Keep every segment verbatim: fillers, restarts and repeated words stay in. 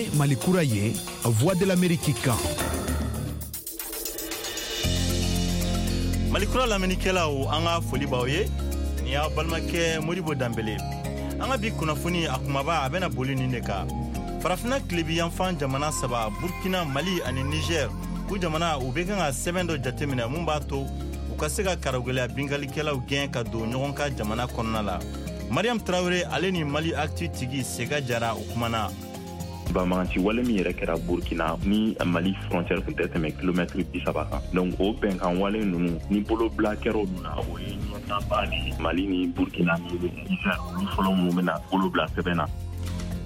Nin ye Mali kura ye, Voix de l'Amérique kan. Mali kura lamɛnnikɛlaw, an ka foli b'aw ye. Nin y'aw balimakɛ Modibo Danbele. An ka bi kunnafoni a kumaba, a bɛna boli nin de kan: Farafinna tilebiyanfan jamana saba, Burkina, Mali ani Niger, u jamana u bɛ kan ka sɛbɛn dɔ jateminɛ mun b'a to u ka se ka karagɛlɛya binkalikɛlaw gɛn ka don ɲɔgɔn ka jamana kɔnɔna la. Mariam Tarawele, ale ni Mali Actu tigi Sega Jara, u kumana. Banbaganci wale min yɛrɛ kɛra Burkina ni Mali frontière tun tɛ tɛmɛ kilomɛtiri bi saba kan, donc o bɛnkan wale ninnu ni bolobila kɛra olu na, o ye ɲɛtaaba de ye. Mali ni Burkina ni Niger, olu fɔlɔ minnu bɛna bolo bila sɛbɛn na.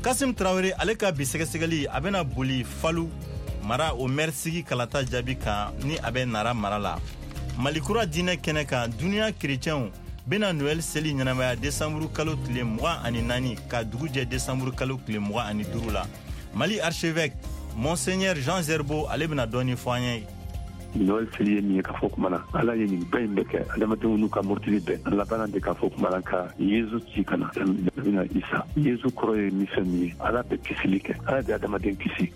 Kasim Tarawele, ale ka bi sɛgɛsɛgɛli, a bɛna boli Falu mara o maire sigi kalata jaabi kan ni a bɛ Nara mara la. Malikura diinɛ kɛnɛ kan, duniya kerecɛnw bena Noɛl seli ɲɛnamaya desanburu kalo tile mugan ani naani ka dugu jɛ desanburu kalo tile mugan ani duuru la. Mali archevêque Monseigneur Jean Zerbo, ale bena dɔɔni fɔ an ye. Noël seli ye min ye, k'a fɔ kuma na Ala ye nin bɛɛ in bɛ kɛ adamadenw n'u ka murutili bɛɛ, a labanna de k'a fɔ kuma na ka Yezu ci ka na bɛna Isa. Yezu kɔrɔ ye min, fɛn min ye, Ala bɛ kisili kɛ, Ala bɛ adamaden kisi.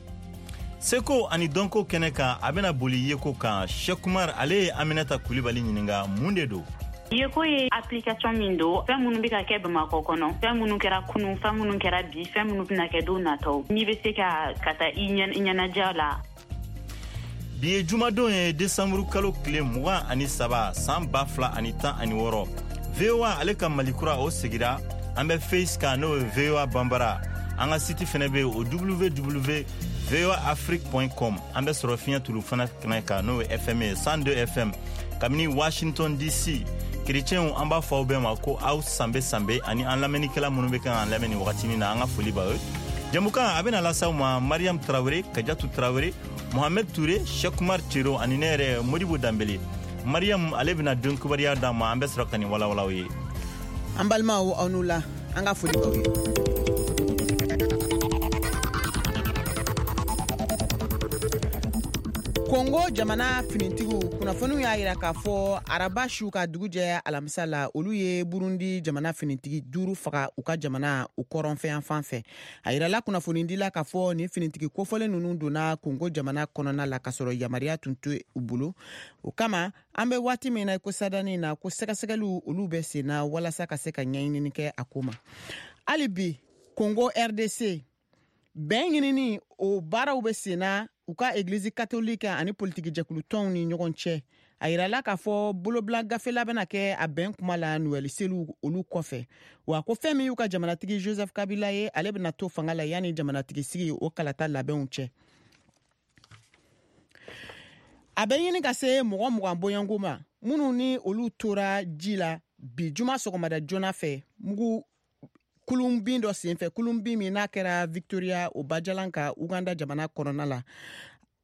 Seko ani dɔnko kɛnɛ kan, a bena boli yeko kan. Shekumar, ale ye Aminata Kulibali ɲininga mun de don. Yeko ye application min don, fɛn minnu bɛ ka kɛ Bamakɔ kɔnɔ, fɛn minnu kɛra kunun, fɛn minnu kɛra bi, fɛn minnu bɛna kɛ don nataw, n'i bɛ se ka ka taa i ɲɛnajɛ la. Bi ye jumadon ye, desanburu kalo tile mugan ani saba, san ba fila ani tan ani wɔɔrɔ. V O A ale ka Malikura, o segira. An bɛ Face kan, n'o ye V O A Banbara. An ka site fɛnɛ bɛ yen, o W W voa afrique com. An bɛ sɔrɔ fiɲɛ tulu fana kɛnɛ kan, n'o ye F M ye, cent deux F M, kabini Washington D C. Kerecɛnw, an b'a fɔ aw bɛɛ ma ko aw sanbe sanbe, ani an lamɛnnikɛla minnu bɛ kan k'an lamɛn nin wagatinin na, an ka foli b'aw ye. Jamukan a bɛna lase aw ma Mariam Tarawele, Kajatu Tarawele, Mohamed Touré, Shekumar Cero ani ne yɛrɛ Modibo Danbele. Mariam, ale bɛna don kibaruya d'an ma, an bɛ sɔrɔ ka nin walawalaw ye. An balimaw, aw n'u la, an ka foli b'aw ye. Kongo jamana finitigiw, kunnafoniw y'a yira k'a fɔ araba su ka dugu jɛ alamisa la, olu ye Burundi jamana finitigi duuru faga u ka jamana u kɔrɔnfɛyan fan fɛ. A yirala kunnafonidila k'a fɔ nin finitigi kofɔlen ninnu donna Kongo jamana kɔnɔna la k'a sɔrɔ yamaruya tun tɛ u bolo. O kama, an bɛ waati min na ko sadani na, ko sɛgɛsɛgɛliw olu bɛ sen na walasa ka se ka ɲɛɲinini kɛ a ko ma. Hali bi Kongo R D C, bɛn ɲinini o baaraw bɛ sen na u ka Egilizi Katolike ani politiki jɛkulutɔnw ni ɲɔgɔn cɛ. A yirala k'a fɔ bolobila gafela bɛna kɛ a bɛn kuma la Nuwɛli seliw olu kɔfɛ. Wa ko fɛn min y'u ka jamanatigi Joseph Kabila ye, ale bɛna to fanga la yanni jamanatigi sigi o kalata labɛnw cɛ. A bɛ ɲini ka se mɔgɔ mugan bɔɲɔgɔnko ma minnu ni olu tora ji la bi juma sɔgɔmada joona fɛ mugu kulunbin dɔ senfɛ, kulunbin min n'a kɛra Victoria o bajalan ka Uganda jamana kɔnɔna la.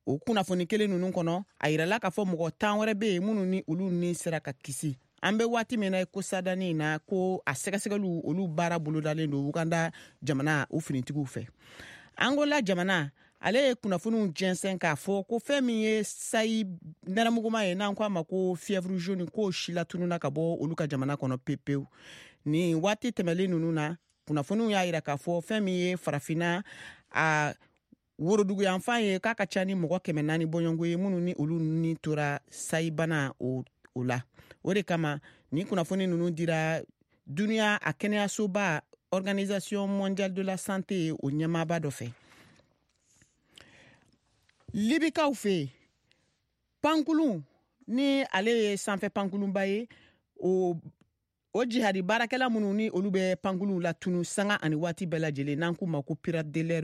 O kunnafoni kelen ninnu kɔnɔ, a yirala k'a fɔ mɔgɔ tan wɛrɛ bɛ yen minnu ni olu ni sera ka kisi. An bɛ waati min na ko sadani na, ko a sɛgɛsɛgɛliw olu baara bolodalen don Uganda jamana o finitigiw fɛ. Angola jamana, ale ye kunnafoniw jɛnsɛn k'a fɔ ko fɛn min ye sayi nɛrɛmuguma ye, n'an ko a ma ko fièvre jaune, k'o si latununa ka bɔ olu ka jamana kɔnɔ pepewu. Nin waati tɛmɛlen ninnu na, kunnafoniw y'a yira k'a fɔ fɛn min ye Farafinna a woroduguyanfan ye, k'a ka ca ni mɔgɔ kɛmɛ naani bɔɲɔgɔnko ye minnu ni olu ni tora sayibana o, o la. O de kama nin kunnafoni ninnu dira duniya a kɛnɛyasoba, Organisation mondiale de la santé, o ɲɛmaaba dɔ fɛ. Libikaw fɛ yen, pankulun ni ale ye sanfɛ pankulunba ye, o o jihadi baarakɛla minnu ni olu bɛ pankulunw latunu sanga ani waati bɛɛ lajɛlen, n'an k'u ma ko pirate de l'air,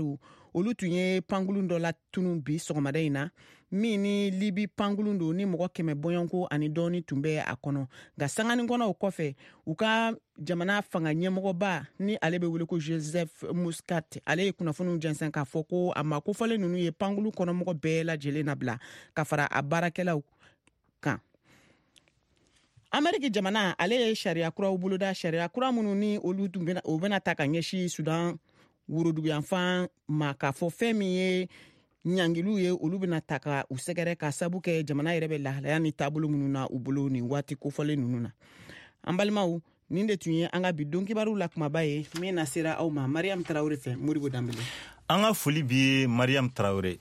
olu tun ye pankulun dɔ latunu bi sɔgɔmada in na, min ni Libi pankulun don, ni mɔgɔ kɛmɛ bɔɲɔgɔnko ani dɔɔni tun bɛ a kɔnɔ. Nka sanganin kɔnɔ o kɔfɛ, u ka jamana fanga ɲɛmɔgɔba ni ale bɛ wele ko Joseph Muscat, ale ye kunnafoniw jɛnsɛn k'a fɔ ko a ma kofɔlen ninnu ye pankulun kɔnɔmɔgɔ bɛɛ lajɛlen nabila ka fara a baarakɛlaw kan. Ameriki jamana, ale ye sariya kuraw boloda, sariya kura minnu ni olu tun bɛna o bɛna ta ka ɲɛsin Sudan woroduguyanfan ma, k'a fɔ fɛn min ye ɲangiliw ye, olu bɛna ta ka u sɛgɛrɛ ka sabu kɛ jamana yɛrɛ bɛ lahalaya ni taabolo minnu na u bolo nin waati kofɔlen ninnu na. An balimaw, nin de tun ye an ka bi don kibaruw la kumaba ye min na sera aw ma Mariam Tarawele fɛ, Modibo Danbele. An ka foli b'i ye Mariam Traoré.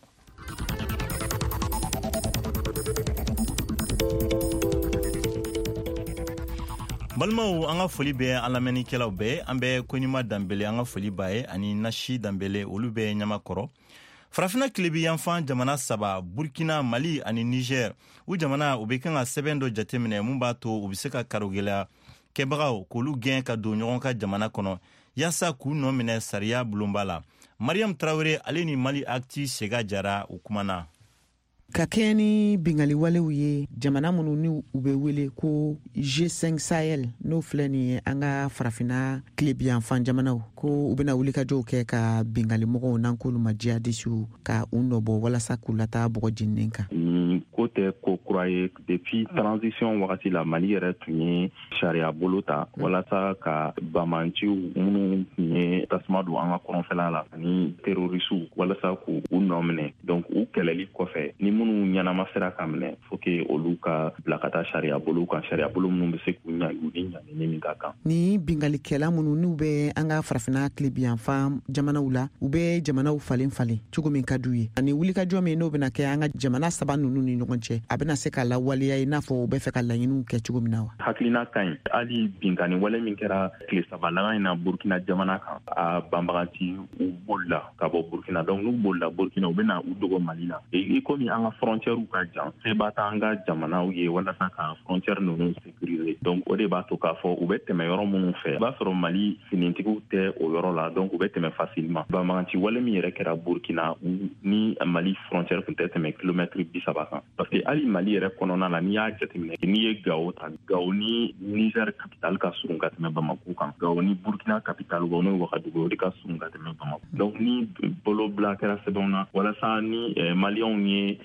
Balimaw, an ka foli bɛ an lamɛnnikɛlaw bɛɛ. An bɛ Koɲuman Danbele, an ka foli b'a ye, ani Nasi Danbele, olu bɛ Ɲamakɔrɔ. Farafinna tilebi yanfan jamana saba, Burkina, Mali ani Niger, u jamana u bɛ kan ka sɛbɛn dɔ jateminɛ mun b'a to u bɛ se ka karogɛlɛya kɛbagaw k'olu gɛn ka don ɲɔgɔn ka jamana kɔnɔ yaasa k'u nɔ minɛ sariya bulonba la. Mariam Traoré ale ni Mali Actu Sega Jara u kumana. Ka kɛɲɛ ni bingaliwalew ye jamana minnu ni u bɛ wele ko G cinq Sahel, n'o filɛ nin ye an ka farafinna tilebiyanfan jamanaw, ko u bɛna wulikajɔw kɛ ka bingalimɔgɔw n'an k'olu ma jihadisiw ka u nɔbɔ walasa k'u lataa bɔgɔ jeninen kan. Nin ko tɛ ko kura ye. Depuis transition wagati la, Mali yɛrɛ tun ye sariya bolo ta walasa ka bamanciw minnu tun ye tasuma don an ka kɔrɔnfɛla la ani terrorisiw walasa k'u nɔ minɛ. Donc u kɛlɛli kɔfɛ, ni minnu ɲɛnama sera ka minɛ, faut que olu ka bila ka taa sariya bolo kan, sariya bolo minnu bɛ se k'u ɲangi, u ni ɲangini min ka kan. Ni bingalikɛla minnu n'u bɛ an ka farafinna tilebiyanfan jamanaw la, u bɛ jamanaw falen falen cogo min ka d'u ye, ani wulikajɔ min n'o bɛna kɛ an ka jamana saba ninnu ni ɲɔgɔn cɛ, a bɛna se ka lawaleya i n'a fɔ u bɛ fɛ ka laɲiniw kɛ cogo min na wa? Hakilina ka ɲi. Hali binkani wale min kɛra tile saba laban in na Burkina jamana kan, a banbaganci u bolila ka bɔ Burkina. Donc n'u bolila Burkina, u bɛna u dogo Mali la. I komi an ka frontière ka jan, seba t'an ka jamanaw ye walasa ka frontière ninnu sécuriser. Donc o de b'a to k'a fɔ u bɛ tɛmɛ yɔrɔ minnu fɛ, i b'a sɔrɔ Mali finitigiw tɛ o yɔrɔ la, donc u bɛ tɛmɛ facilement. Banbaganci wale min yɛrɛ kɛra Burkina, ni Mali frontière tun tɛ tɛmɛ kilomètre bi saba kan, parce que hali Mali yɛrɛ kɔnɔna la, n'i y'a jateminɛ, n'i ye Gao ta, Gao ni Niger capitale ka surun ka tɛmɛ Bamako kan, Gao ni Burkina capitale n'o ye Wagadugu, o de ka surun ka tɛmɛ Bamako. Donc ni bolobila kɛra sɛbɛnw na walasa ni Maliyɛnw ye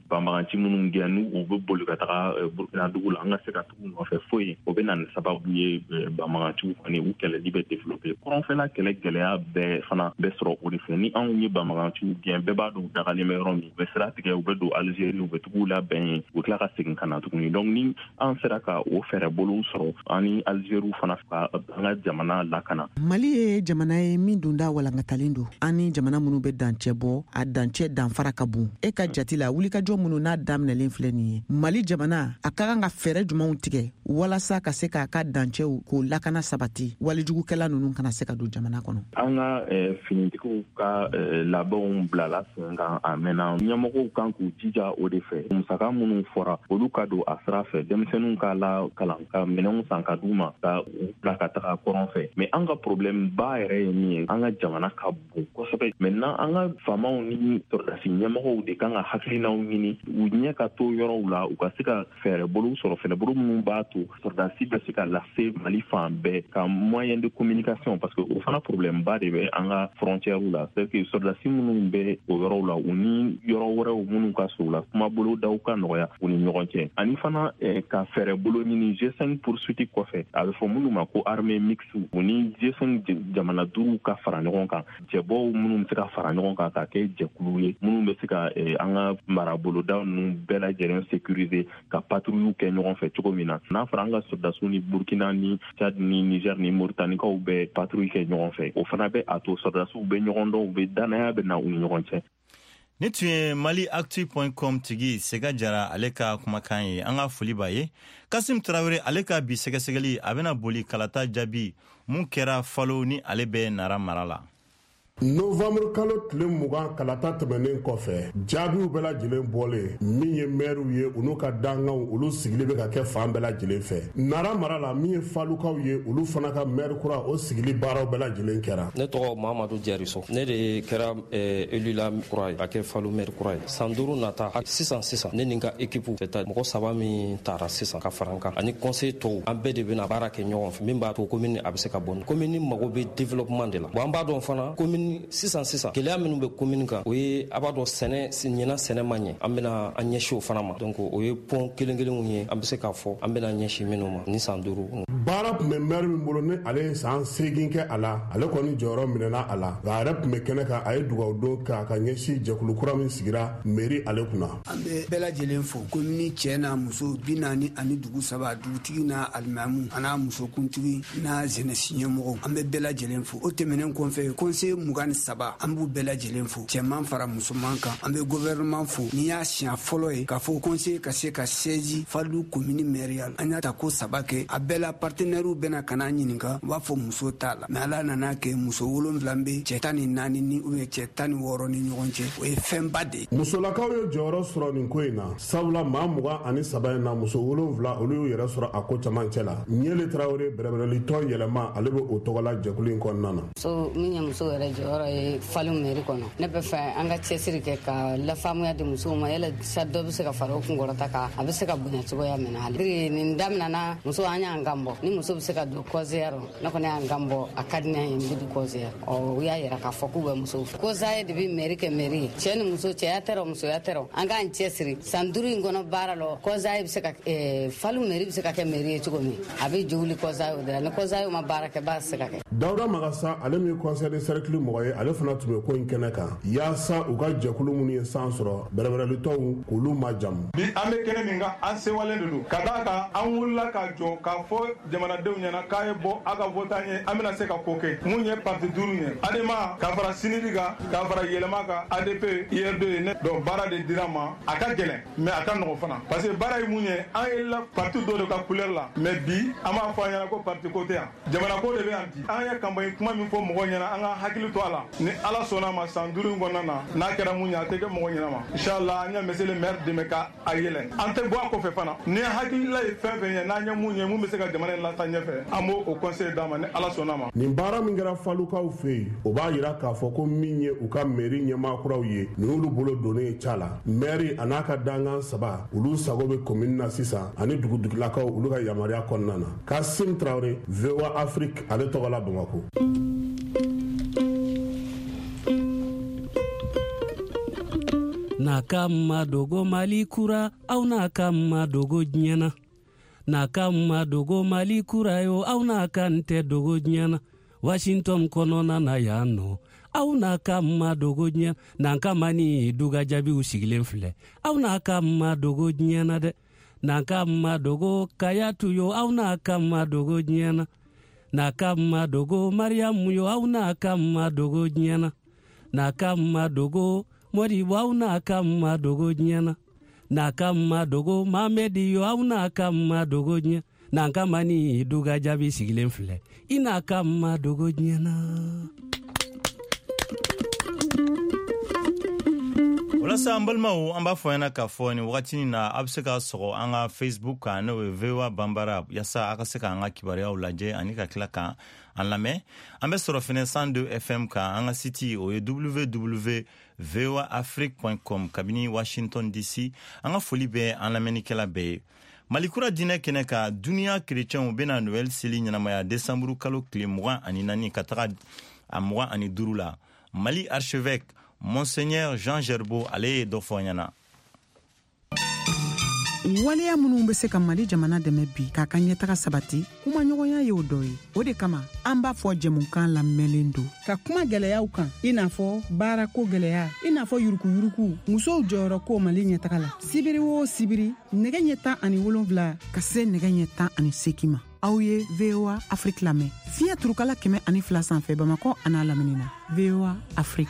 banbaganci minnu gɛn, n'u u bɛ boli ka taga Burkina dugu la, an ka se ka tugu nɔfɛ foyi, o bɛ na ni sababu ye banbaganciw kɔni u kɛlɛli bɛ développer. Kɔrɔnfɛla kɛlɛ gɛlɛya bɛɛ fana bɛ sɔrɔ o de fɛ. Ni anw ye banbaganciw gɛn, bɛɛ b'a dɔn u dagalen bɛ yɔrɔ min, u bɛ sira tigɛ, u bɛ don Algérie, u bɛ tugu labɛn yen, u tila ka segin ka na tuguni. Donc ni an sera ka o fɛɛrɛ bolow sɔrɔ, an ni Algérie fana ka an ka jamana lakana. Mali ye jamana ye min donda walankatalen don, an ni jamana minnu bɛ dancɛ bɔ, a dancɛ danfara ka bon. E ka jate la, wulikajɔ minnu n'a daminɛlen filɛ nin ye, Mali jamana a ka kan ka fɛɛrɛ jumɛnw tigɛ walasa ka se k'a ka dancɛw k'o lakana sabati, walijugukɛla ninnu kana se ka don jamana kɔnɔ? An ka finitigiw ka labɛnw bilala sen kan a mɛnna. Ɲɛmɔgɔw kan k'u jija o de fɛ. Musaka minnu fɔra, olu ka don a sira fɛ, denmisɛnninw ka la kalan, ka minɛnw san ka d'u ma, ka u bila ka taga kɔrɔn fɛ. Mais an ka problème ba yɛrɛ ye min ye, an ka jamana ka bon kosɛbɛ. Maintenant an ka faamaw ni sɔrɔdasi ɲɛmɔgɔw de kan ka hakilinaw ɲini, u ɲɛ ka to yɔrɔw la, u ka se ka fɛɛrɛ bolow sɔrɔ, fɛɛrɛ bolo minnu b'a to sɔrɔdasi bɛ se ka lase Mali fan bɛɛ, ka moyen de communication, parce que o fana problème ba de bɛ an ka frontière la. C'est que sɔrɔdasi minnu bɛ o yɔrɔw la, u ni yɔrɔ wɛrɛw minnu ka surun la, kuma bolodaw ka nɔgɔya u ni ɲɔgɔn cɛ. Ani fana ka fɛɛrɛ bolo ɲini G cinq poursuite kɔfɛ, a bɛ fɔ minnu ma ko armée mixte, u ni G cinq jamana duuru ka fara ɲɔgɔn kan, cɛbɔw minnu bɛ se ka fara ɲɔgɔn kan ka kɛ jɛkulu ye, minnu bɛ se ka an ka maraboloda ninnu bɛɛ lajɛlen sécuriser, ka patrouille kɛ ɲɔgɔn fɛ cogo min na. N'a fɔra an ka sɔrɔdasiw ni Burkina ni Tchad ni Niger ni Mauritaniekaw bɛ patrouille kɛ ɲɔgɔn fɛ, o fana bɛ a to sɔrɔdasiw bɛ ɲɔgɔn dɔn, u bɛ danaya bɛ na u ni ɲɔgɔn cɛ. Ni tun ye Mali Actu point com tigi Sega Jara ale ka kumakan ye. An ka foli b'a ye. Kasim Traoré ale ka bi sɛgɛsɛgɛli a bɛna boli kalata jaabi mun kɛra Falo ni ale bɛ Nara mara la. Novembre kalo tile mugan kalata tɛmɛnen kɔfɛ, jaabiw bɛɛ lajɛlen bɔlen, min ye mɛriw ye, olu ka danganw olu sigili bɛ ka kɛ fan bɛɛ lajɛlen fɛ. Nara mara la, min ye falukaw ye, olu fana ka mɛri kura o sigili baaraw bɛɛ lajɛlen kɛra. Ne tɔgɔ Mamadu Jariso, ne de kɛra élu la kura ye ka kɛ Falu mɛri kura ye. San duuru nata sisan sisan, ne ni n ka équipe c'est mɔgɔ saba min taara sisan ka fara n kan ani conseil tɔw, an bɛɛ de bɛna baara kɛ ɲɔgɔn fɛ min b'a to commune a bɛ se ka bɔ. Commune mago bɛ développement de la. Bon, an b'a dɔn fana commune sisan sisan gɛlɛya minnu bɛ commune kan, o ye a b'a dɔn sɛnɛ ɲinan sɛnɛ ma ɲɛ, an bɛna an ɲɛsin o fana ma. Donc o ye pɔn kelen kelenw ye an bɛ se k'a fɔ an bɛna ɲɛsin minnu ma ni san duuru. Baara tun bɛ mɛri min bolo ni ale ye san seegin kɛ a la, ale kɔni jɔyɔrɔ minɛna a la, nka a yɛrɛ tun bɛ kɛnɛ kan, a ye dugawu don k'a ka ɲɛsin jɛkulu kura min sigira mairie ale kunna. An bɛ bɛɛ lajɛlen fo, commune cɛ n'a muso bi naani ani dugu saba, dugutigi n'a alimamu a n'a musokuntigi n'a jeunesse ɲɛmɔgɔw, an bɛ bɛɛ lajɛlen fo. O tɛmɛnen kɔfɛ, conseil mugan mugan ni saba, an b'u bɛɛ lajɛlen fo, cɛman fara musoman kan. An bɛ gouvernement fo. N'i y'a siɲɛ fɔlɔ ye k'a fɔ conseil ka se ka siège Falu commune mairie la, an y'a ta ko saba kɛ. A bɛɛ la partenaires bɛna ka n'a ɲininka, u b'a fɔ muso t'a la, mais Ala nana kɛ muso wolonwula bɛ cɛ tan ni naani ni ou bien cɛ tan ni wɔɔrɔ ni ɲɔgɔn cɛ. O ye fɛnba de ye. Musolakaw ye jɔyɔrɔ sɔrɔ nin ko in na, sabula maa mugan ani saba in na, muso wolonwula olu y'u yɛrɛ sɔrɔ a ko camancɛ la. Ɲele Tarawele, bɛrɛbɛrɛlitɔn yɛlɛma, ale bɛ o tɔgɔla jɛkulu in kɔnɔna na. So min ye muso yɛrɛ jɔyɔrɔ ye Falu mairie kɔnɔ, ne bɛ fɛ an ka cɛsiri kɛ ka lafaamuya di musow ma, yala sa dɔ bɛ se ka fara o kunkɔrɔta kan, a bɛ se ka bonya cogoya min na. Hali nin daminɛna, muso an y'an kan bɔ, ni muso bɛ se ka don conseil rɔ, ne kɔni y'an kan bɔ, a ka di ne ye, n bɛ don conseil rɔ. Ɔ u y'a yira k'a fɔ k'u bɛ musow fɛ. Conseil de bɛ mairie kɛ mairie ye, cɛ ni muso, cɛya tɛ rɔ, musoya tɛ rɔ, an k'an cɛsiri san duuru in kɔnɔ baara lɔ. Conseil bɛ se ka Falu mairie bɛ se ka kɛ mairie ye cogo min, a bɛ jowuli conseil de la. Ni conseil ma baara kɛ, baara tɛ se ka kɛ. Dawuda Magasa, ale min ye conseil de cercle mɔgɔ ye, ale fana tun bɛ ko in kɛnɛ kan yaasa u ka jɛkulu minnu ye san sɔrɔ, bɛrɛbɛrɛlitɔnw k'olu majamu. Bi an bɛ kɛnɛ min kan, an sewalen de don ka d'a kan an wulila ka jɔ k'a fɔ jamanadenw ɲɛna k'a ye bɔ a ka vote an ye, an bɛna se ka ko kɛ mun ye parti duuru ye, ADEMA ka fara SYNID kan, ka fara Yɛlɛma kan, A D P, I R D ye. Ne donc baara de dira ma, a ka gɛlɛn mais a ka nɔgɔn fana, parce que baara ye mun ye, an yɛlɛla parti dɔ de ka couleur la, mais bi an b'a fɔ an ɲɛna ko parti ko tɛ yan, jamana ko de bɛ yan. Bi an ye campagne kuma min fɔ mɔgɔw ɲɛna, an ka hakili to a la. Ni Ala sɔnna ma, san duuru in kɔnɔna na, n'a kɛra mun ye, a tɛ kɛ mɔgɔ ɲɛna ma. Inchallah an ye monsieur le maire dɛmɛ ka a yɛlɛ, an tɛ bɔ a kɔfɛ fana. Ni hakilila ye fɛn fɛn ye, n'an ye mun ye mun bɛ se ka jamana in lataa ɲɛfɛ, an b'o o conseil d'a ma ni Ala sɔnna ma. Nin baara min kɛra Falukaw fɛ yen, o b'a yira k'a fɔ ko min ye u ka mairie ɲɛmaa kuraw ye, nin y'olu bolo donnen ye ca la. Maire a n'a ka dankan saba, olu sago bɛ commune na sisan, ani dugudugulakaw olu ka yamaruya kɔnɔna na. Kasim Traoré, V O A Afrique, ale tɔgɔ la Bamakɔ. N'a ka ma dogo Mali kura, aw n'a ka ma dogo diɲɛ na. N'a ka ma dogo Mali kura yo, aw n'a ka n tɛ dogo diɲɛ na. Washington kɔnɔna na yan nɔ, aw n'a ka ma dogo diɲɛ na. N'an ka ma ni duga jaabiw sigilen filɛ, aw n'a ka ma dogo diɲɛ na dɛ. N'an ka ma dogo Kayatu yo, aw n'a ka ma dogo diɲɛ na. N'a ka ma dogo Mariamu yo, aw n'a ka ma dogo diɲɛ na. N'a ka ma dogo Modibo, aw n'a ka ma dogo diɲɛ na. N'a ka ma dogo Mamedi yo, aw n'a ka ma dogo diɲɛ. N'an ka ma ni duga jaabi sigilen filɛ, i n'a ka ma dogo diɲɛ na. Walasa an balimaw, an b'a fɔ ɲɛna k'a fɔ nin wagati na, a bɛ se ka sɔgɔ an ka Facebook kan, n'o ye V O A Banbara, yaasa a ka se k'an ka kibaruyaw lajɛ ani ka tila kan an lamɛn. An bɛ sɔrɔ fɛnɛ cent deux F M kan, an ka site o ye w w w v o a afrique point com kabini Washington D C. An ka foli bɛ an lamɛnnikɛla bɛɛ ye. Mali kura diinɛ kɛnɛ kan, duniya kerecɛnw bɛna Noël seli ɲɛnamaya décembre kalo tile mugan ani naani ka taga a mugan ani duuru la. Mali archevêque Monseigneur Jean Gerbeau, ale ye dɔ fɔ an ɲɛna. Waleya minnu bɛ se ka Mali jamana dɛmɛ bi k'a ka ɲɛtaga sabati, kumaɲɔgɔnya y'o dɔ ye. O de kama an b'a fɔ jɛmukan lamɛnlen don ka kuma gɛlɛyaw kan, i n'a fɔ baarako gɛlɛya, i n'a fɔ yurukuyuruku, musow jɔyɔrɔ ko Mali ɲɛtaga la. Sibiri o sibiri, nɛgɛ ɲɛ tan ani wolonwula ka se nɛgɛ ɲɛ tan ani seegin ma, aw ye V O A Afrique lamɛn fiɲɛ turukala kɛmɛ ani fila sanfɛ Bamakɔ an'a lamini na. V O A Afrique.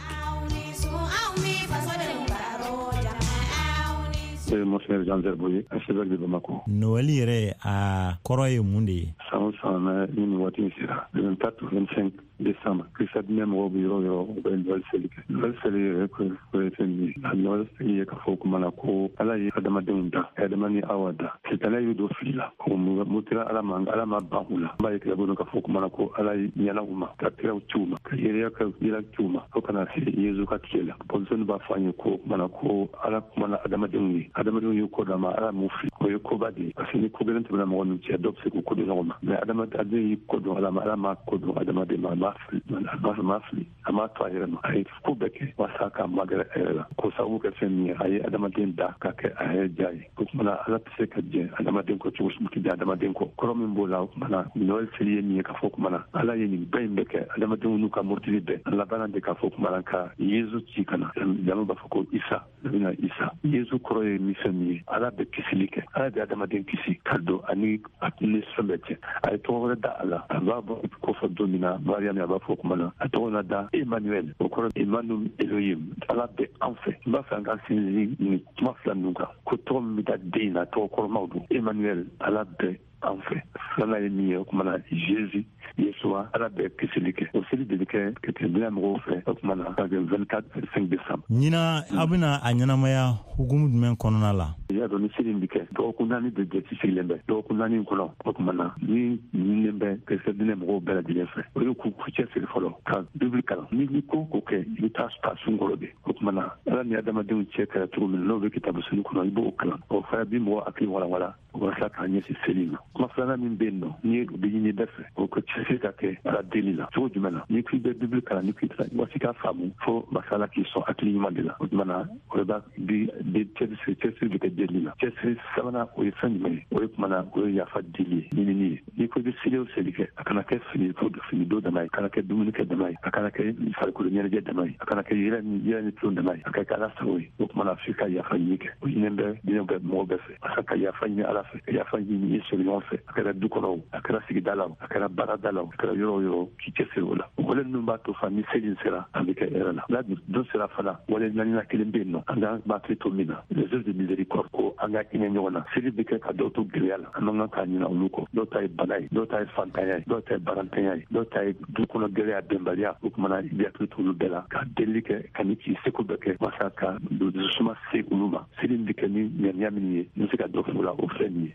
Monseigneur Jean Zerbo, archevêque de Bamako. Noël yɛrɛ a kɔrɔ ye mun de ye? San o san ni nin waati in sera, le vingt-quatre ou vingt-cinq décembre, Krista diinɛ mɔgɔw bɛ yɔrɔ o yɔrɔ, u bɛ Noël seli kɛ. Noël seli yɛrɛ ko ye fɛn min ye? A Noël seli ye k'a fɔ kuma na ko Ala ye adamadenw da, Adama ni Awa da. Sitanɛ y'u don fili la, o mutira Ala ma, Ala ma ban u la. An b'a ye kira bolo k'a fɔ kuma na ko Ala ye ɲɛna u ma, ka kiraw ci u ma, ka yɛrɛya ka yira ci u ma, fo kana se Yezu ka tile la. Bɔnsɔnni b'a fɔ an ye ko kuma na ko Ala kumana adamadenw ye. Adamadenw ye ko dɔ ma, Ala m'u fili. O ye koba de ye, parce que ni ko gɛlɛn tɛmɛna mɔgɔ min cɛ, dɔw bɛ se k'u ko don ɲɔgɔn ma. Mais adamaden y'i ko don Ala ma, Ala m'a ko don adamaden ma, a m'a fili, a m'a fili, a m'a to a yɛrɛ ma. A ye ko bɛɛ kɛ walasa k'a magɛrɛ a yɛrɛ la. K'o sababu kɛ fɛn min ye, a ye adamaden da ka kɛ a yɛrɛ diya ye. O tuma na Ala tɛ se ka jɛn adamaden kɔ cogo si tɛ jɛn adamaden kɔ. Kɔrɔ min b'o la, o tuma na Noël seli ye min ye k'a fɔ kuma na Ala ye nin bɛɛ in bɛɛ kɛ, adamadenw n'u ka murutili bɛɛ. A labanna de k'a fɔ kuma na ka Yezu ci ka na. Jama b'a fɔ ko Isa, bɛna Isa. Yezu kɔrɔ ye min fɛn min ye, Ala bɛ kisili kɛ, Ala bɛ adamaden kisi ka don ani a ni fɛn bɛɛ cɛ. A ye tɔgɔ wɛrɛ da a la, a b'a bɔ ko fɔ don min na, Mariam a b'a b'a fɔ kuma na a tɔgɔ na da Emmanuel, o kɔrɔ Emmanuel Elohim, Ala bɛ an fɛ. N b'a fɛ an ka sinsin nin kuma fila ninnu kan, ko tɔgɔ min bɛ da den na tɔgɔ kɔrɔmaw don. Emmanuel, Ala bɛ an fɛ. Filanan ye min ye, o kuma na Jésus, Yesua, Ala bɛ kisili kɛ. O seli de bɛ kɛ kerecɛndenya mɔgɔw fɛ, o kuma na ka kɛ vingt-quatre vingt-cinq décembre. Ɲinan aw bɛna a ɲɛnamaya hukumu jumɛn kɔnɔna la? I y'a dɔn ni seli in bɛ kɛ dɔgɔkun naani de jate sigilen bɛ. Dɔgɔkun naani in kɔnɔ, o kuma na ni ɲininen bɛ kerecɛndinɛ mɔgɔw bɛɛ lajɛlen fɛ, o ye k'u cɛsiri fɔlɔ ka Bibili kalan. Ni ni ko ko kɛ, i bɛ taa a sun kɔrɔ de. O kuma na Ala ni adamadenw cɛ kɛra cogo min na, n'o bɛ kitabu sunu kɔnɔ, i b'o kalan. O fana bi mɔgɔ hakili walawala walasa k'a ɲɛsin seli ma. Kuma filanan min bɛ yen nɔ, ni o bɛ ɲini bɛɛ fɛ, o ka cɛsiri ka kɛ Ala deli la. Cogo jumɛn na? N'i k'i bɛ Bibili kalan, ni k'i waati k'a faamu, fo masala k'i sɔn hakili ɲuman de la. O tuma na o de b'a bi cɛsiri cɛsiri bɛ kɛ deli la. Cɛsiri sabanan o ye fɛn jumɛn ye? O ye kuma na o ye yafa deli ye, ɲinini ye. N'i ko i bɛ seli o seli kɛ, a kana kɛ fini fini don dama ye, a kana kɛ dumuni kɛ dama ye, a kana kɛ farikolo ɲɛnajɛ dama ye, a kana kɛ yɛlɛ ni yɛlɛ ni tulon dama ye, a ka kɛ Ala sago ye. O tuma na f'i ka yafa ɲini kɛ. O ɲininen bɛ diinɛ bɛɛ mɔgɔ bɛɛ fɛ, walasa ka yafa ɲini Ala fɛ, ka yafa ɲini i sigiɲɔgɔn fɛ, a kɛra du kɔnɔ o, a kɛra sigida la o, a kɛra baarada la o, a kɛra yɔrɔ o yɔrɔ, k'i cɛsiri o la. O wale ninnu b'a to fa ni seli sera, an bɛ kɛ hɛrɛ la. N'a don sera fana, wale naaninan kelen bɛ yen nɔ, an k'an hakili to min na, les œuvres de miséricorde, ko an ka hinɛ ɲɔgɔn na. Seli bɛ kɛ ka dɔw to gɛlɛya la, an man kan k'a ɲinɛ olu kɔ. Dɔw ta ye bana ye, dɔw ta ye fantanya ye, dɔw ta ye barantanya ye, dɔw ta ye du kɔnɔ gɛlɛya, bɛnbaliya. O tuma na i bɛ hakili to olu bɛɛ la, ka delili kɛ, ka ni k'i seko bɛɛ kɛ walasa ka dususuma se olu ma. Seli bɛ kɛ ni ŋaniya min ye, n bɛ se ka dɔ f'o la, o filɛ nin ye.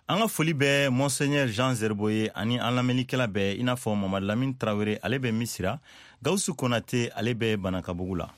An ka foli bɛ Monseigneur Jean Zerbo ye ani an lamɛnnikɛla bɛɛ, i n'a fɔ Mamadu Lamine Traoré, ale bɛ Misira, Gawusu Konate, ale bɛ Banakabugu la.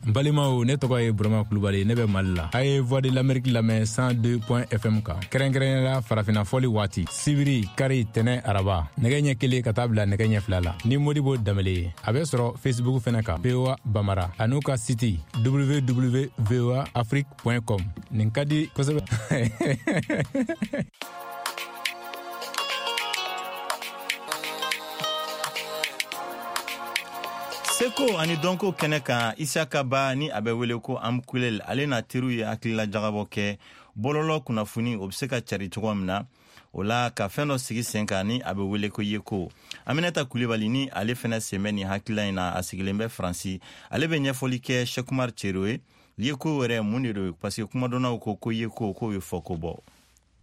N balimaw, ne tɔgɔ ye Burama Kulubali, ne bɛ Mali la. A ye Voix de l'Amérique lamɛn cent deux point F M kan, kɛrɛnkɛrɛnnenya la farafinna fɔli waati, sibiri, kari, tɛnɛ, araba, nɛgɛ ɲɛ kelen ka taa bila nɛgɛ ɲɛ fila la ni Modibo Danbele ye. A bɛ sɔrɔ Facebook fɛnɛ kan, V O A Bamara, a n'u ka site w w w point voa afrique point com. Nin ka di kosɛbɛ. Seko ani dɔnko kɛnɛ kan, Isaka Ba ni a bɛ wele ko Amkulel, ale n'a teriw ye hakilila jagabɔ kɛ bɔlɔlɔ kunnafoni o bɛ se ka cari cogo min na, o la ka fɛn dɔ sigi sen kan ni a bɛ wele ko Yeko. Aminata Kulibali ni ale fɛnɛ sen bɛ nin hakilila in na, a sigilen bɛ Faransi, ale bɛ ɲɛfɔli kɛ Sekumar Cero ye. Yeko yɛrɛ mun de don? Parce que kumadɔnnaw ko ko Yeko k'o ye fɔ ko bɔ.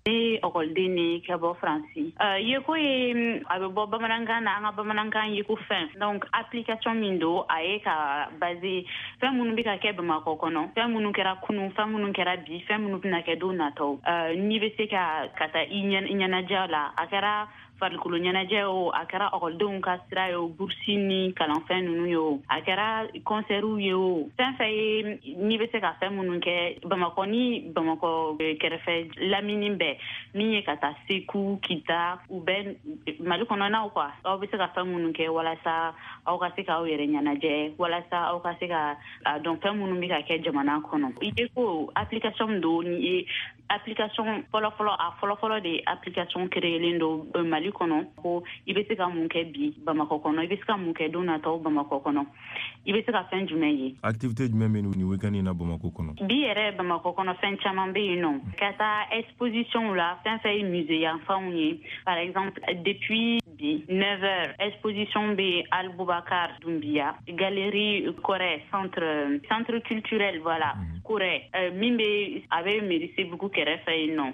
Ne ɔkɔliden ni ka bɔ Faransi. Uh, Yeko ye a bɛ bɔ bamanankan na, an ka bamanankan Yeko fɛn. Donc application min don, a ye ka basé fɛn minnu bɛ ka kɛ Bamakɔ kɔnɔ, fɛn minnu kɛra kunun, fɛn minnu kɛra bi, fɛn minnu bɛna kɛ don nataw. Uh, n'i bɛ se ka ka taa i ɲɛnajɛ la, a kɛra farikolo ɲɛnajɛ o, a kɛra ɔkɔlidenw ka sira ye o, bursi ni kalanfɛn ninnu ye o, a kɛra kɔnsɛriw ye o, fɛn fɛn ye n'i bɛ se ka fɛn minnu kɛ Bamakɔ ni Bamakɔ kɛrɛfɛ lamini bɛɛ, min ye ka taa Segu, Kita, u bɛɛ Mali kɔnɔnaw quoi, aw bɛ se ka fɛn minnu kɛ walasa aw ka se k'aw yɛrɛ ɲɛnajɛ, walasa aw ka se ka a dɔn fɛn minnu bɛ ka kɛ jamana kɔnɔ. Yeko application min don, ni ye application fɔlɔfɔlɔ, a fɔlɔfɔlɔ de application créelen don Mali kɔnɔ, ko i bɛ se ka mun kɛ bi Bamakɔ kɔnɔ, i bɛ se ka mun kɛ don nataw Bamakɔ kɔnɔ, i bɛ se ka fɛn jumɛn ye. Activité jumɛn bɛ nin week-end in na Bamakɔ kɔnɔ? Bi yɛrɛ Bamakɔ kɔnɔ fɛn caman bɛ yen nɔ, ka taa exposition la, fɛn fɛn ye musée yanfanw ye, par exemple depuis bi neuf heures exposition bɛ Aliboubacar Doumbia, galerie Corée, centre centre culturel, voilà, Corée, min bɛ a bɛ mairie Sebugu kɛrɛfɛ yen nɔ,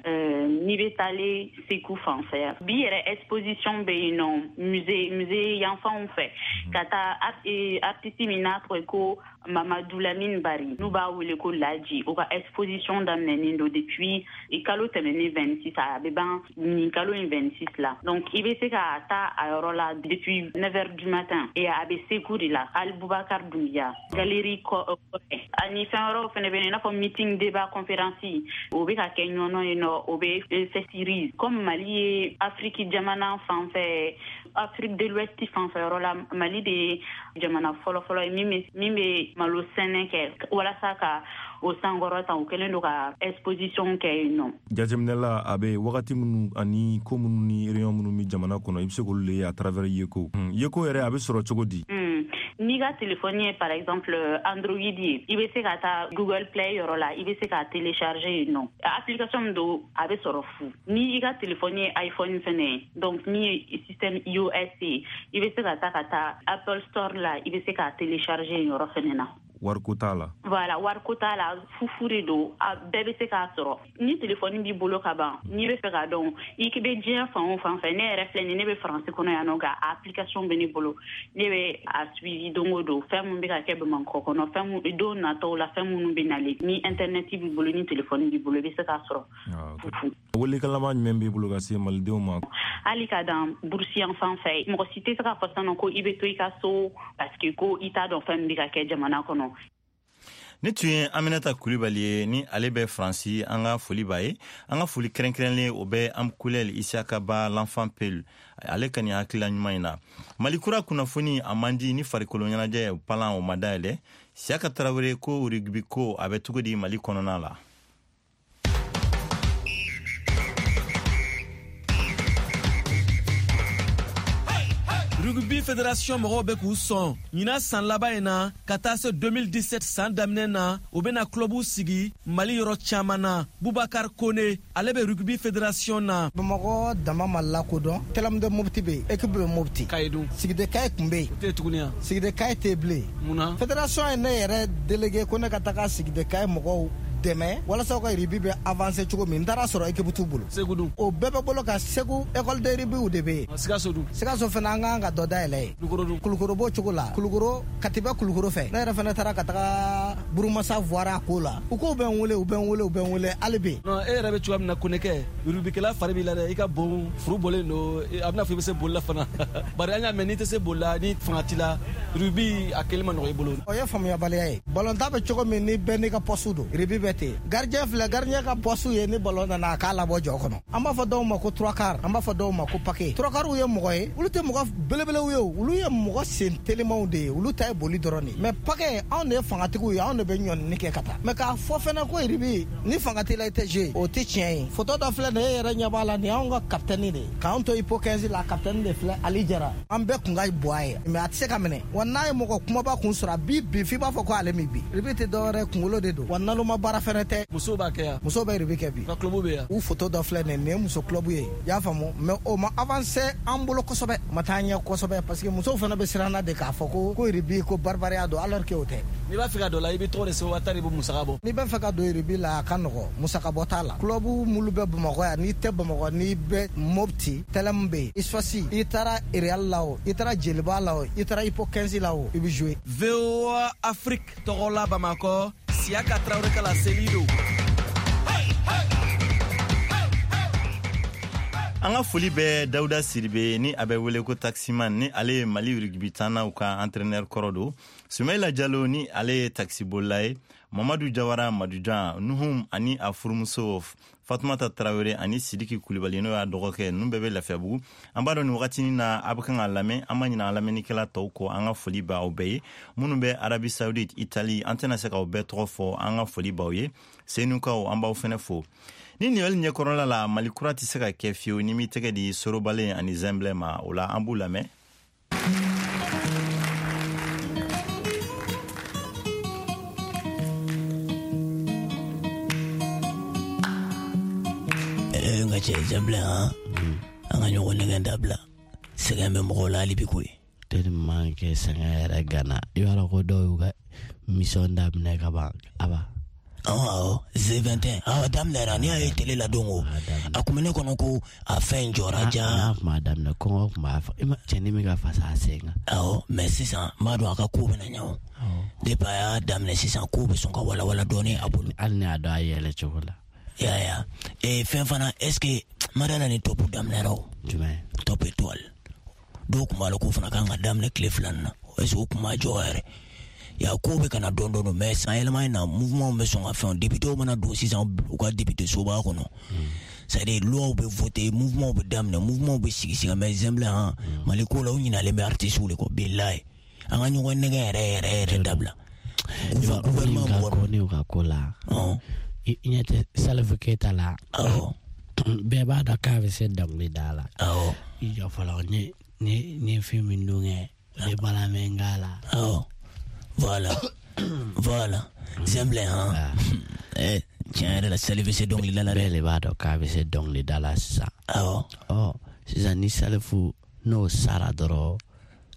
n'i bɛ taalen Segu fan fɛ. Bi yɛrɛ exposition bɛ yen nɔ musée musée yanfanw fɛ, ka taa artiste min n'a tɔgɔ ye ko Mamadou Lamine Bari, n'u b'a wele ko Laji, o ka exposition daminɛnen don depuis kalo tɛmɛnen vingt-six, a bɛ ban nin kalo in vingt-six la. Donc i bɛ se ka taa a yɔrɔ la depuis neuf heures du matin, et a bɛ Segu de la, Aliboubacar Doumbia, galerie Corée. Ani fɛn wɛrɛw fɛnɛ bɛ yen, i n'a fɔ meeting, débat, conférence, o bɛ ka kɛ Ɲɔnɔ yen nɔ, o bɛ Festirise. Comme Mali ye Afrique jamana fan fɛ, Afrique de l'Ouest fan fɛ yɔrɔ la, Mali de ye jamana fɔlɔfɔlɔ ye min bɛ min bɛ malo sɛnɛ kɛ walasa ka o sankɔrɔta, u kɛlen don ka exposition kɛ yen nɔ. Jateminɛ la, a bɛ wagati minnu ani ko minnu ni réunion minnu bɛ jamana kɔnɔ, i bɛ se k'olu le ye à travers Yeko. Yeko yɛrɛ a bɛ sɔrɔ cogo di? N'i ka téléphone ye par exemple Android ye, i bɛ se ka taa Google Play yɔrɔ la, i bɛ se k'a télécharger yen nɔ. Application min don, a bɛ sɔrɔ fu. Ni i ka téléphone ye iPhone fɛnɛ ye, donc min ye système iOS ye, i bɛ se ka taa ka taa Apple Store la, i bɛ se k'a télécharger yen yɔrɔ fɛnɛ na. Wariko t'a la. Voilà, wariko t'a la, fufu de don, a bɛɛ bɛ se k'a sɔrɔ. Ni téléphone b'i bolo ka ban, n'i bɛ fɛ k'a dɔn, i bɛ diɲɛ fan o fan fɛ. Ne yɛrɛ filɛ nin, ne bɛ Faransi kɔnɔ yan nɔ, nka application bɛ ne bolo. Ne bɛ a suivi don o don, fɛn min bɛ ka kɛ Bamakɔ kɔnɔ, fɛn mun don nataw la, fɛn minnu bɛ nalen. Ni internet b'i bolo, ni téléphone b'i bolo, i bɛ se k'a sɔrɔ fufu. Welekan jumɛn b'i bolo ka se malidenw ma? Hali ka dan burusi yan fan fɛ, mɔgɔ si tɛ se k'a fɔ sisan nɔ ko i bɛ to i ka so parce que ko i t'a dɔn fɛn min bɛ ka kɛ jamana kɔnɔ. Ne tun ye Aminata Kulibali ye, ni ale bɛ Faransi. An ka foli b'a ye. An ka foli kɛrɛnkɛrɛnlen, o bɛ Amkulɛl Isiyaka Ba, l'enfant Peul, ale ka nin hakilila ɲuman in na. Mali kura kunnafoni a man di ni farikolo ɲɛnajɛ palan o ma dayɛlɛ. Siyaka Tarawele ko rugby ko a bɛ cogo di Mali kɔnɔna la? Rugby Fédération mɔgɔw bɛ k'u sɔn ɲinan san laban in na ka taa se deux mille dix-sept san daminɛ na, u bɛna clubu sigi Mali yɔrɔ caman na. Bubakar Kone, ale bɛ Rugby Fédération na. Bamakɔ dama ma lakodɔn. Tɛlɛmu de Mopti bɛ yen, équipe bɛ Mopti. Kayi dun? Sigide Kayi tun bɛ yen. O tɛ tuguni yan? Sigide Kayi tɛ bilen. Mun na? Fédération ye ne yɛrɛ délégué ko ne ka taga Sigide Kayi mɔgɔw dɛmɛ walasa u ka rugby bɛ avancer cogo min. N taara sɔrɔ équipe t'u bolo. Segu dun? O bɛɛ bɛ bolo kan. Segu, école de rugby de bɛ yen. Sikaso dun? Sikaso fana, an kan ka dɔ dayɛlɛ yen. Kulukoro dun? Kulukoro b'o cogo la. Kulukoro, Kati bɛ Kulukoro fɛ. Ne yɛrɛ fana taara ka taga Burumasa voira a ko la. U k'u bɛ n wele, u bɛ n wele, u bɛ n wele hali bi. Non, e yɛrɛ bɛ cogoya min na, Konekɛ, rugbykɛla fari b'i la dɛ. I ka bon, furu bɔlen don, a bɛna fɔ i bɛ se boli la fana. Bari an y'a mɛn, n'i tɛ se boli la, ni fanga t'i la, rugby a kɛli ma nɔgɔ i bolo. O ye faamuyabaliya ye. Balontan bɛ cogo min, ni bɛɛ n'i ka poste don, rugby bɛ ten. Gardien filɛ, gardien ka poste ye ni ballon nana, a k'a labɔ jɔ kɔnɔ. An b'a fɔ dɔw ma ko trois quarts, an b'a fɔ dɔw ma ko paquet. Trois quarts ye mɔgɔ ye, olu tɛ mɔgɔ belebelew ye, olu ye mɔgɔ sen telimanw de ye, olu ta ye boli dɔrɔn de ye. Mais paquet, anw de ye fangatigiw ye, anw de bɛ ɲɔnini kɛ ka taa. Mais k'a fɔ fɛnɛ ko rugby, ni fanga t'i la, i tɛ jouer, o tɛ tiɲɛ ye. Photo dɔ filɛ nin ye, e yɛrɛ ɲɛ b'a la, nin y'anw ka capitaine de ye. K'anw to Ipo quinze la, capitaine de filɛ, Ali Jara. An bɛɛ kun ka bon a ye, mais a tɛ se ka minɛ. Wa n'a ye mɔgɔ kumaba kun sɔrɔ, a b'i bin f'i b'a fɔ ko ale min bi. Rugby tɛ dɔwɛrɛ, kunkolo de don. Wa naloma baara fɛnɛ tɛ. Musow b'a kɛ yan? Musow bɛ rugby kɛ bi. Ka club bɛ yan? U photo dɔ filɛ nin ye, nin ye muso club ye. I y'a faamu, mais o ma avancer an bolo kosɛbɛ, ma taa ɲɛ kosɛbɛ, parce que musow fana bɛ siran na de k'a fɔ ko ko rugby ko baribariya don, alors que o tɛ. N'i b'a fɛ ka don la, i bɛ tɔgɔ de sɛbɛn wa taa de bɛ musaka bɔ? N'i b'a fɛ ka don rugby la, a ka nɔgɔ, musaka bɔ t'a la. Club minnu bɛ Bamakɔ yan, n'i tɛ Bamakɔ, n'i bɛ Mopti, Tɛlɛmu bɛ yen, Isfasi, i taara Real la o, i taara Jeliba la o, i taara Ipo quinze la o, i bɛ jouer. V O A Afrique tɔgɔ la Bamakɔ, Siyaka Tarawele ka laseli don. An ka foli bɛ Dawuda Siribe, ni a bɛ wele ko Taximan, ni ale ye Mali rugby tannaw ka entraîneur kɔrɔ don. Sumayila Jalo, ni ale ye taxibolila ye. Mamadu Jawara Madujan Nuhum ani a furumuso Fatumata Tarawele ani Sidiki Kulibali, n'o y'a dɔgɔkɛ, ninnu bɛɛ bɛ Lafiyabugu. An b'a dɔn nin wagatinin na a bɛ kan ka lamɛn. An ma ɲinɛ an lamɛnnikɛla tɔw kɔ. An ka foli b'aw bɛɛ ye minnu bɛ Arabie Saoudite, Italie, an tɛna se k'aw bɛɛ tɔgɔ fɔ. An ka foli b'aw ye. Senukaw, an b'aw fɛnɛ fo. Ni niyɔli ɲɛkɔrɔla la, Mali kura tɛ se ka kɛ fiyewu ni m'i tɛgɛ di Sorobalen ani Zɛnbilɛ ma. O la, an b'u lamɛn. N ka cɛ Zɛnbilɛ, han, an ka ɲɔgɔn nɛgɛn dabila. Sɛgɛn bɛ mɔgɔw la hali bi koyi. Tellement que sɛgɛn yɛrɛ gana, i b'a dɔn ko dɔw y'u ka mission daminɛ ka ban aba. Awɔ, Z vingt et un awɔ, daminɛra. N'i y'a ye télé la don o, a kun bɛ ne kɔnɔ ko a fɛn jɔra ja. N'a kun b'a daminɛ, kɔngɔ kun b'a i ma cɛnin min ka fasa a sen kan. Awɔ, mais sisan n b'a dɔn a ka ko bɛna ɲɛ o. Depuis a y'a daminɛ sisan, ko bɛ sɔn ka walawala dɔɔnin a bolo. Hali ni y'a dɔn a yɛlɛ cogo la. Ya ya ee, fɛn fana, est ce que madala ni top daminɛra o? Jumɛn? Top Étoile, dɔw kun b'a la k'o fana kan ka daminɛ tile fila nin na. Est ce que o kun ma jɔ yɛrɛ ya? Ko bɛ ka na dɔɔnin dɔɔnin, mais san yɛlɛma in na, mouvement bɛ sɔn ka fɛn. Député mana don sisan u ka député soba kɔnɔ, c'est à dire loi bɛ voter, mouvement bɛ daminɛ, mouvement bɛ sigi sigi. Mais Zɛnbilɛ, han, Mali ko la, u ɲinalen bɛ artistes de kɔ. Bilayi, an ka ɲɔgɔn nɛgɛ yɛrɛ yɛrɛ yɛrɛ dabila. Gouvernement mɔgɔ ne ka ko la, i ɲɛ tɛ Salifu Keyita la? Bɛɛ b'a dɔn k'a bɛ se dɔnkili da la. I jɔ fɔlɔ, n ye n ye fɛn min don kɛ. O de balamɛnga la. Awɔ, voilà, voilà, Zɛnbilɛ han. Eh, tiɲɛ yɛrɛ la, Salif bɛ se dɔnkilida la dɛ. Bɛɛ de b'a dɔn k'a bɛ se dɔnkilida la sisan. Awɔ. Ɔ, sisan ni Salifu n'o sara dɔrɔn,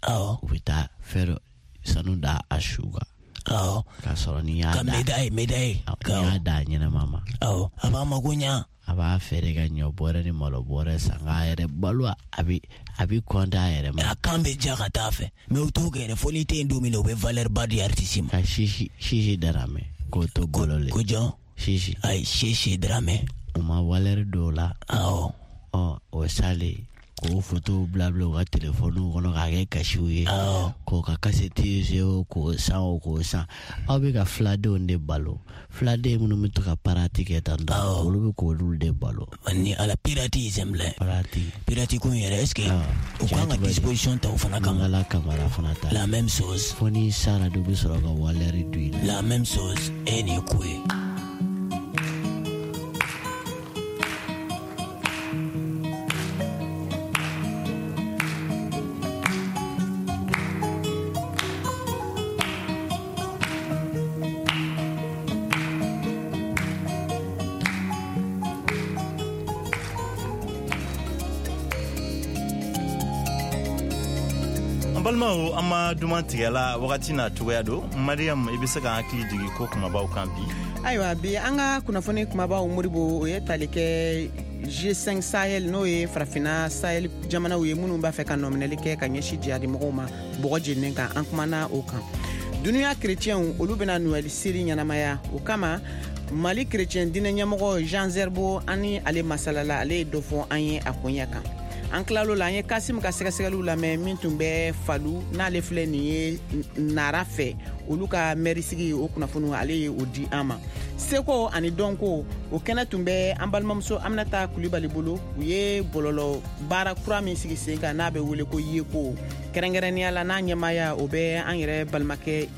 awɔ, u bɛ taa fɛn dɔ sanu da a su kan. Awɔ. K'a sɔrɔ n'i y'a ka da médaille médaille. N'i y'a da a ɲɛnama ma. Awɔ, a b'a mago ɲa. A b'a feere ka ɲɔ bɔrɛ ni malo bɔrɛ san k'a yɛrɛ balo, a bɛ a bɛ kɔntan a yɛrɛ ma. A kan bɛ ja ka taa fɛ, mais u t'o kɛ yɛrɛ, fo n'i tɛ yen don min na, u bɛ valeur ba di artiste ma. Ka sisi sisi Daramɛ k'o to bolo le. Ko jɔn? Sisi. Ayi, Sisi Daramɛ. U ma valeur don o la. Awɔ. Ɔ, o salen k'o fotow bila bila u ka telefɔniw kɔnɔ k'a kɛ kasiw ye. Awɔ. K'o ka kasɛti se o, k'o san o, k'o san. Aw bɛ ka filadenw de balo, filaden minnu bɛ to ka parati kɛ tan tɔ, olu bɛ k'olu de balo. Ni ala pirati Zɛnbilɛ. Pirati. Pirati ko in yɛrɛ, est ce que u kan ka disposition ta o fana kama? Mangala Kamara fana ta. La même chose. Fo n'i sara de, u bɛ sɔrɔ ka valeur don i la. La même chose, e nin ye ko ye. An balimaw, an ma duman tigɛla wagati n'a cogoya don. Mariam, i bɛ se ka hakili jigin ko kumabaw kan bi? Ayiwa, bi an ka kunnafoni kumabaw, Moribo, o ye tali kɛ G cinq Sahel, n'o ye farafinna Sahel jamanaw ye minnu b'a fɛ ka nɔminɛli kɛ ka ɲɛsin jihadimɔgɔw ma bɔgɔ jeninen kan. An kumana o kan. Dunuya kerecɛnw, olu bɛna Noɛl seli ɲɛnamaya. O kama, Mali kerecɛn diinɛ ɲɛmɔgɔ Jean Zerbo, an ni ale masalala, ale ye dɔ fɔ an ye a koɲɛ kan. An tilal'o la, an ye Kasim ka sɛgɛsɛgɛliw lamɛn min tun bɛ Falu, n'ale filɛ nin ye Nara fɛ, olu ka mɛrisigi, o kunnafoniw ale ye o di an ma. Seko ani dɔnko, o kɛnɛ tun bɛ an balimamuso Aminata Kulibali bolo. U ye bɔlɔlɔ baara kura min sigi sen kan n'a bɛ wele ko Yeko, kɛrɛnkɛrɛnnenya la n'a ɲɛmaaya o bɛ an yɛrɛ balimakɛ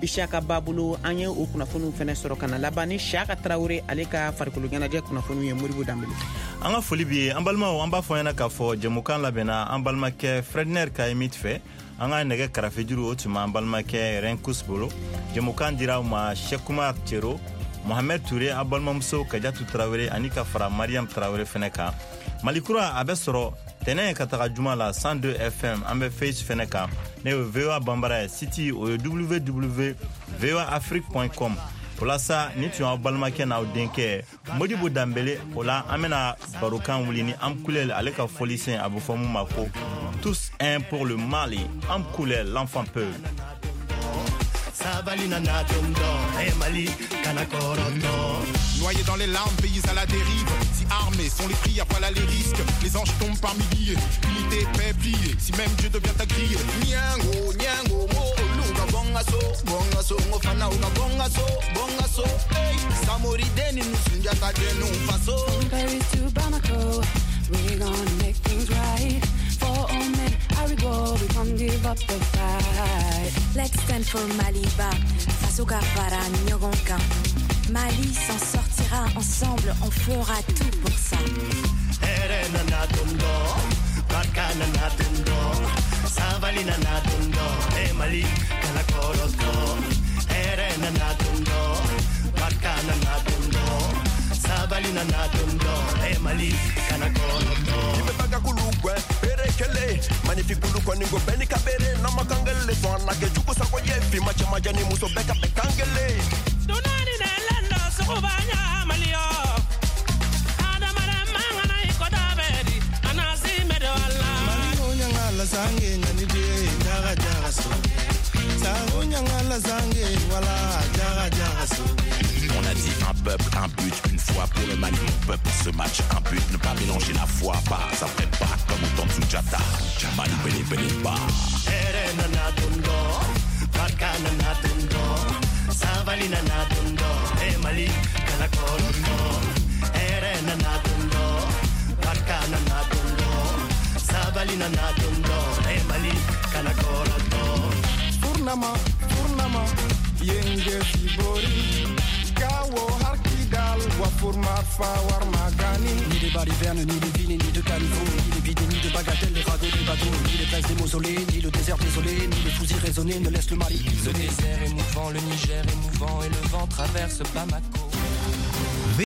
Isiaka Ba bolo. An ye o kunnafoniw fɛnɛ sɔrɔ ka na laban ni Siaka Tarawele ale ka farikolo ɲɛnajɛ kunnafoniw ye. Moribo Danbele. An ka foli b'i ye. An balimaw, an b'a fɔ ɲɛna k'a fɔ jɛmukan labɛnna an balimakɛ Fredner Kayimit fɛ. An ka nɛgɛ karafejuru, o tun b'an balimakɛ Renkus bolo. Jɛmukan dira aw ma Sekumar Cero, Mohamed Touré, an balimamuso Kajatu Tarawele ani ka fara Mariam Tarawele fɛnɛ kan. Malikura a bɛ sɔrɔ tɛnɛ ka taga juma la cent deux F M. An bɛ Face fɛnɛ kan, ne ye V O A Banbara ye. Site o ye w w w v o a afrique point com. O la sa, ni tun y'aw balimakɛ n'aw denkɛ Modibo Danbele. O la, an bɛna barokan wuli ni Amkulel ale ka fɔlisen, a bɛ fɔ mun ma ko tous un pour le Mali. Amkulel, l'enfant peul. Noyé dans les larmes, pays à la dérive. Si armés sont les prières, voilà les risques. Les anges tombent par milliers, unité, paix, pliée. Si même Dieu devient ta grille. Nyango, nyango, mo, luga, bonga so, bonga so, ngofana, uga, bonga so, bonga so. Hey, Samori deni, nusunjata denu, faso. From Paris to Bamako, we gonna make things right. For all men, I we go, we can't give up the fight. Let's stand for Maliba, Faso ka fara ɲɔgɔn kan. Mali s'en sortira, ensemble, on fera tout pour ça. Magnifique bulu kɔni ko bɛɛ ni ka bere n'a ma kan kelen sɔn a na kɛ jugu sago ye finma cɛmanjɛ ni muso bɛɛ ka bɛn kan kelen. Dunani ne lendo suguba ɲamaliyo adamaden man kana i kɔda bɛ di anasi mɛdɔ la. Maliko ɲangala sange ɲani de jaga jaga so sango ɲangala sange wala jaga jaga so. On a dit un peuple, un but, une foi pour le Mali, mon peuple, ce match, un but, ne pas mélanger la foi, pas après pas, comme au temps de Sunjata, Mali, bélé, bélé, ba. Furnama, furnama, yenge fibori. Gawo har Kidal, wa Furmafa Warmagani. Ni les balivernes, ni les villes, ni de caniveaux, ni les vides, ni de bagatelles, les ragots des bateaux, ni les places des mausolées, ni le désert désolé, ni les fusils raisonnés ne laissent le Mali. Le désert est mouvant, le Niger est mouvant et le vent traverse Bamako.